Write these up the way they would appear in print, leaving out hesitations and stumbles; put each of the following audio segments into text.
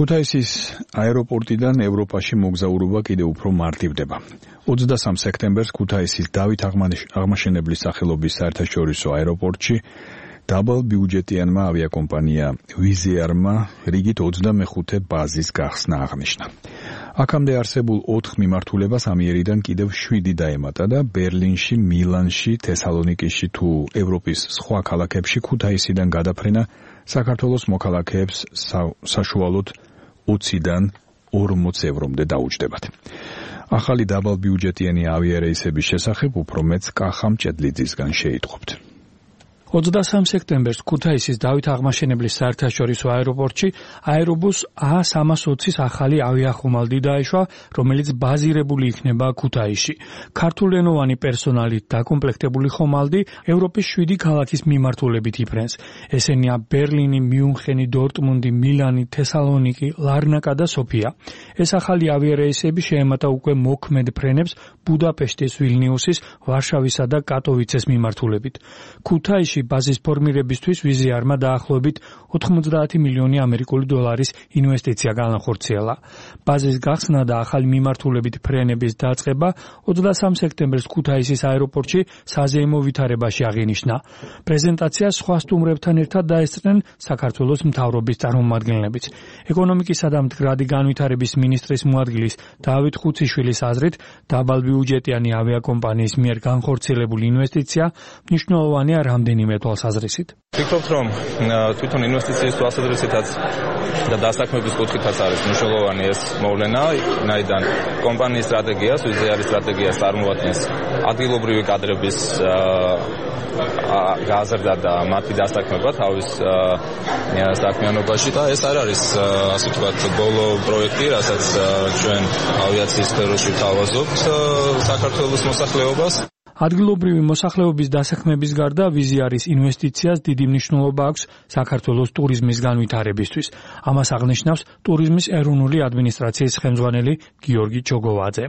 ქუთაისის აეროპორტიდან ევროპაში მოგზაურობა კიდევ უფრო მარტივდება. 23 სექტემბერს ქუთაისის დავით აღმაშენებლის სახელობის საერთაშორისო აეროპორტში დაბალბიუჯეტიანმა ავიაკომპანია ვიზიარმა რიგით 25 ბაზის გახსნა აღნიშნა. აქამდე არსებულ 4 მიმართულებას ამიერიდან კიდევ 7 დაემატა და ბერლინში, მილანში, თესალონიკიში თუ ევროპის სხვა ქალაქებში ქუთაისიდან გადაფრენა საქართველოს მოქალაქეებს საშუალოდ 20-დან 40 ევრომდე დაუჯდებათ. ახალი დაბალბიუჯეტიანი ავიარეისების შესახებ უფრო მეც კახა მჭედლიძისგან შეიტყობთ. 23 სექტემბერს ქუთაისის დავით აღმაშენებლის საერთაშორისო აეროპორტში აერობუს A320-ის ახალი ავიახომალდი დაეშვა, რომელიც ბაზირებული იქნება ქუთაისში. ქართულენოვანი პერსონალით დაკომპლექტებული ხომალდი ევროპის 7 ქალაქის მიმართულებით იფრენს. ესენია ბერლინი, მიუნხენი, დორტმუნდი, მილანი, თესალონიკი, ლარნაკა და სოფია. ეს ახალი ავიარეისები შეემატა უკვე მოქმედ ფრენებს ბუდაპეშტის, ვილნიუსის, ვარშავისა და კატოვიცეს მიმართულებით. ქუთაისში ბაზის ფორმირებისთვის ვიზიარმა დაახლოებით 90 მილიონი ამერიკული დოლარის ინვესტიცია განახორციელა. ბაზის გახსნა და ახალი მიმართულებით ფრენების დაწყება 23 სექტემბერს ქუთაისის აეროპორტში საზეიმო ვითარებაში აღინიშნა. პრეზენტაციას სხვა სტუმრებთან ერთად დაესწრნენ საქართველოს მთავრობის წარმომადგენლებიც. ეკონომიკისა და მდგრადი განვითარების მინისტრის მოადგილის დავით ხუციშვილის აზრით, დაბალბიუჯეტიანი ავიაკომპანიის მიერ განხორციელებული ინვესტიცია მნიშვნელოვანია რამდენიმე თვალსაზრისით. ვფიქრობთ, რომ თვითონ ინვესტიციის თვალსაზრისითაც და დასაქმების კუთხითაც არის მნიშვნელოვანი ეს მოვლენა, ვინაიდან კომპანიის სტრატეგიას, ვიზიარის სტრატეგიას წარმოადგენს ადგილობრივი კადრების გაზრდა და მათი დასაქმება თავის საქმიანობაში და ეს არ არის, ასე ვთქვათ, ბოლო პროექტი, რასაც ჩვენ ავიაციის სფეროში ვთავაზობთ საქართველოს მოსახლეობას. ადგილობრივი მოსახლეობის დასაქმების გარდა ვიზიარის ინვესტიციას დიდი მნიშვნელობა აქვს საქართველოს ტურიზმის განვითარებისთვის. ამას აღნიშნავს ტურიზმის ეროვნული ადმინისტრაციის ხელმძღვანელი გიორგი ჩოგოვაძე.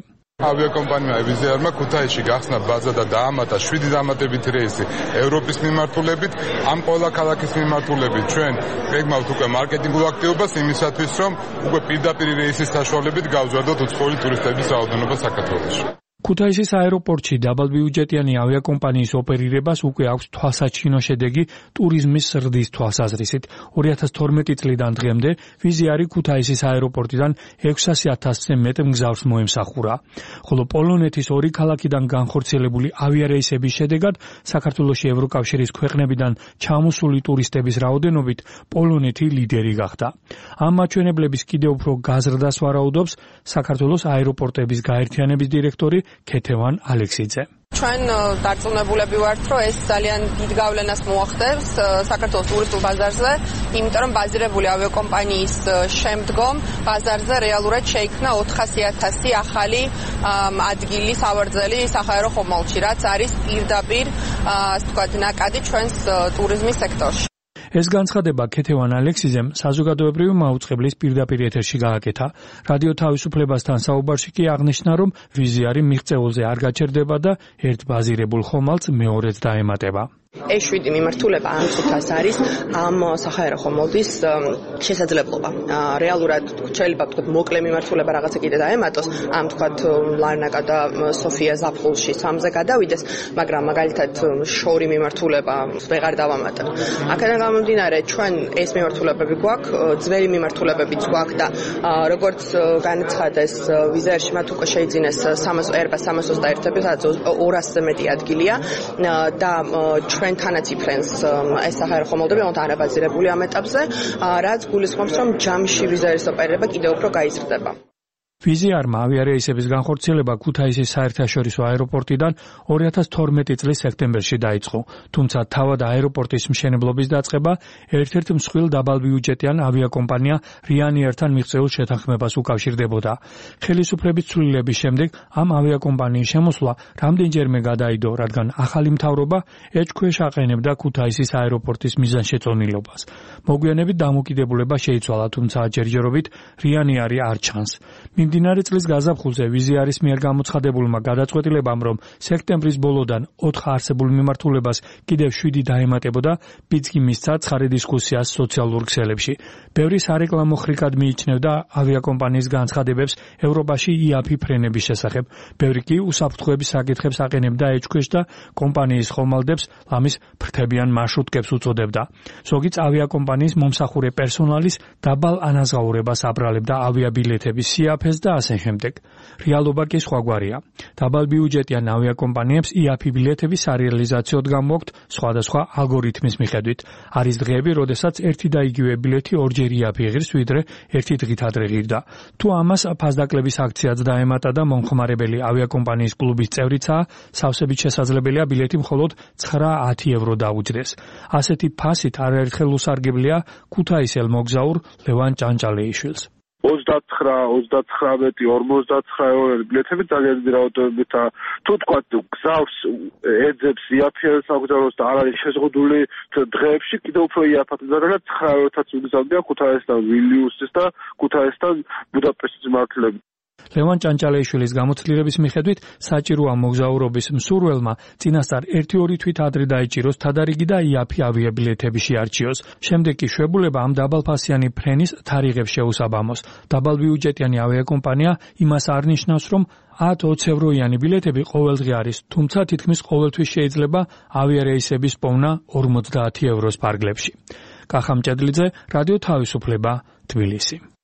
ავიაკომპანია ვიზიარმა ქუთაისში გახსნა ბაზა და დაამატა 7 დამატებითი რეისი ევროპის მიმართულებით, ამ ყველა ქალაქის მიმართულებით. ჩვენ გეგმავთ უკვე მარკეტინგულ აქტივობას იმისათვის, რომ უკვე პირდაპირ რეისის საშუალებით გავზარდოთ უცხოელი ტურისტების რაოდენობა საქართველოში. ქუთაისის აეროპორტში დაბალბიუჯეტიანი ავიაკომპანიის ოპერირებას უკვე აქვს თვალსაჩინო შედეგი ტურიზმის ზრდის თვალსაზრისით. 2012 წლიდან დღემდე ვიზიარი ქუთაისის აეროპორტიდან 600,000-ზე მეტ მგზავრს მოემსახურა. ხოლო პოლონეთის 2 ქალაქიდან განხორციელებული ავიარეისების შედეგად საქართველოში ევროკავშირის ქვეყნებიდან ჩამოსული ტურისტების რაოდენობით პოლონეთი ლიდერი გახდა. ამ მაჩვენებლების კიდევ უფრო გაზრდას ვარაუდობს საქართველოს აეროპორტების გაერთიანების დირექტორი ქეთევან ალექსიძე. ჩვენ დარწმუნებულები ვართ, რომ ეს ძალიან დიდ გავლენას მოახდენს საქართველოს ტურისტულ ბაზარზე, იმიტომ რომ ბაზირებული ავიაკომპანიის შემდგომ ბაზარზე რეალურად შეიქმნა 400,000 ახალი ადგილი სავარძელი საჰაერო ხომალდში, რაც არის პირდაპირ, ასე ვთქვათ, ნაკადი ჩვენს ტურიზმის სექტორში. ეს განცხადება ქეთევან ალექსიძემ საზოგადოებრივი მაუწყებლის პირდაპირ ეთერში გააკეთა. რადიო თავისუფლებასთან საუბარში კი აღნიშნა, რომ ვიზიარი მიღწეულზე არ გაჩერდება და ერთ ბაზირებულ ხომალდს მეორედ დაემატება. E7 მიმართულება ამ წუთას არის ამ საჰაერო ხომალდის შესაძლებლობა. რეალურად შეიძლება ვთქვათ მოკლე მიმართულება რაღაცა კიდე დაემატოს, ამ ვთქვათ ლარნაკა და სოფია ზაფხულში 3-ზე გადავიდეს, მაგრამ მაგალითად შორი მიმართულება ვეღარ დავამატებ. აქედან გამომდინარე, ჩვენ ეს მიმართულებები გვაქვს, ძველი მიმართულებებიც გვაქვს და როგორც განაცხადეს ვიზიარში მათ უკვე შეიძინეს Airbus 321-ები, სადაც 200-ზე მეტი ადგილია და ჩვენთანაც იფრენს ეს საჰაერო ხომალდები არაბაზირებული ამ ეტაპზე, რაც გულისხმობს, რომ ჯამში ვიზიარის ოპერირება კიდევ უფრო გაიზრდება. ვიზიარმა ავიარეისების განხორციელება ქუთაისის საერთაშორისო აეროპორტიდან 2012 წლის სექტემბერში დაიწყო, თუმცა თავად აეროპორტის მშენებლობის დაწყება ერთ-ერთ მსხვილ დაბალბიუჯეტიან ავიაკომპანია რიანიერთან მიღწეულ შეთანხმებას უკავშირდებოდა. ხელისუფლების ცვლილების შემდეგ ამ ავიაკომპანიის შემოსვლა რამდენჯერმე გადაიდო, რადგან ახალი მთავრობა ეჭქვეშ აყენებდა ქუთაისის აეროპორტის მიზანშეწონილობას. მოგვიანებით დამოკიდებულება შეიცვალა, თუმცა ჯერჯერობით რიანიერი არ ჩანს. მიმდინარე წლის გაზაფხულზე ვიზიარის მიერ გამოცხადებულმა გადაწყვეტილებამ, რომ სექტემბრის ბოლოდან 4 არსებულ მიმართულებას კიდევ 7 დაემატებოდა, პიცგი მისცა ცხარე დისკუსიას სოციალურ ქსელებში. ბევრი სარეკლამო ხრიკად მიიჩნევდა ავიაკომპანიის განცხადებებს ევროპაში იაფი ფრენების შესახებ. ბევრი კი უსაფრთხოების საკითხებს აყენებდა ეჭქვეშ და კომპანიის ხომალდებს ლამის ფრთებიან მარშრუტკებს უწოდებდა. ზოგიც ავიაკომპანიის მომსახურე პერსონალის დაბალ ანაზღაურებას აბრალებდა ავიაბილეთების სიაფეს და ასე შემდეგ. რეალობა კი სხვაგვარია. დაბალ ბიუჯეტიან ავიაკომპანიებს იაფი ბილეთების სარეალიზაციოდ გამოაქვთ სხვადასხვა ალგორითმის მიხედვით. არის დღეები, როდესაც ერთი და იგივე ბილეთი ორჯერ იაფი ღირს, ვიდრე ერთი დღით ადრე ღირდა. თუ ამას ფასდაკლების აქციაც დაემატა და მომხმარებელი ავიაკომპანიის კლუბის წევრიცაა, სავსებით შესაძლებელია ბილეთი მხოლოდ 9-10 евро დაუჯდეს. ასეთი ფასით არაერთხელ უსარგებლია ქუთაისელ მოგზაურ ლევან ჭანჭალეიშვილს. 29, 49 ბილეთები ძალიან დიდი რაოდენობით და თუ თქვა გზავს ეძებს იაფიანს აგზავნოს და არ არის შეზღუდული დღეებში კიდევ უფრო იაფად და 9-ად უგზავნია ქუთაისთან ვილნიუსის და ქუთაისთან ბუდაპეშტის მიმართულებით. ლევან ჭანჭალეიშვილის გამოცდილების მიხედვით საჭიროა მოგზაურობის მსურველმა წინასწარ 1-2 თვით ადრე დაიჭიროს თადარიგი და იაფი ავიაბილეთები შეარჩიოს. შემდეგ კი შვებულება ამ დაბალფასიანი ფრენის თარიღებს შეუსაბამოს. დაბალბიუჯეტიანი ავიაკომპანია იმას არ ნიშნავს, რომ 10-20 ევროიანი ბილეთები ყოველდღე არის, თუმცა თითქმის ყოველთვის შეიძლება ავიარეისების პოვნა 50 ევროს ფარგლებში. კახა მჭედლიძე, რადიო თავისუფლება, თბილისი.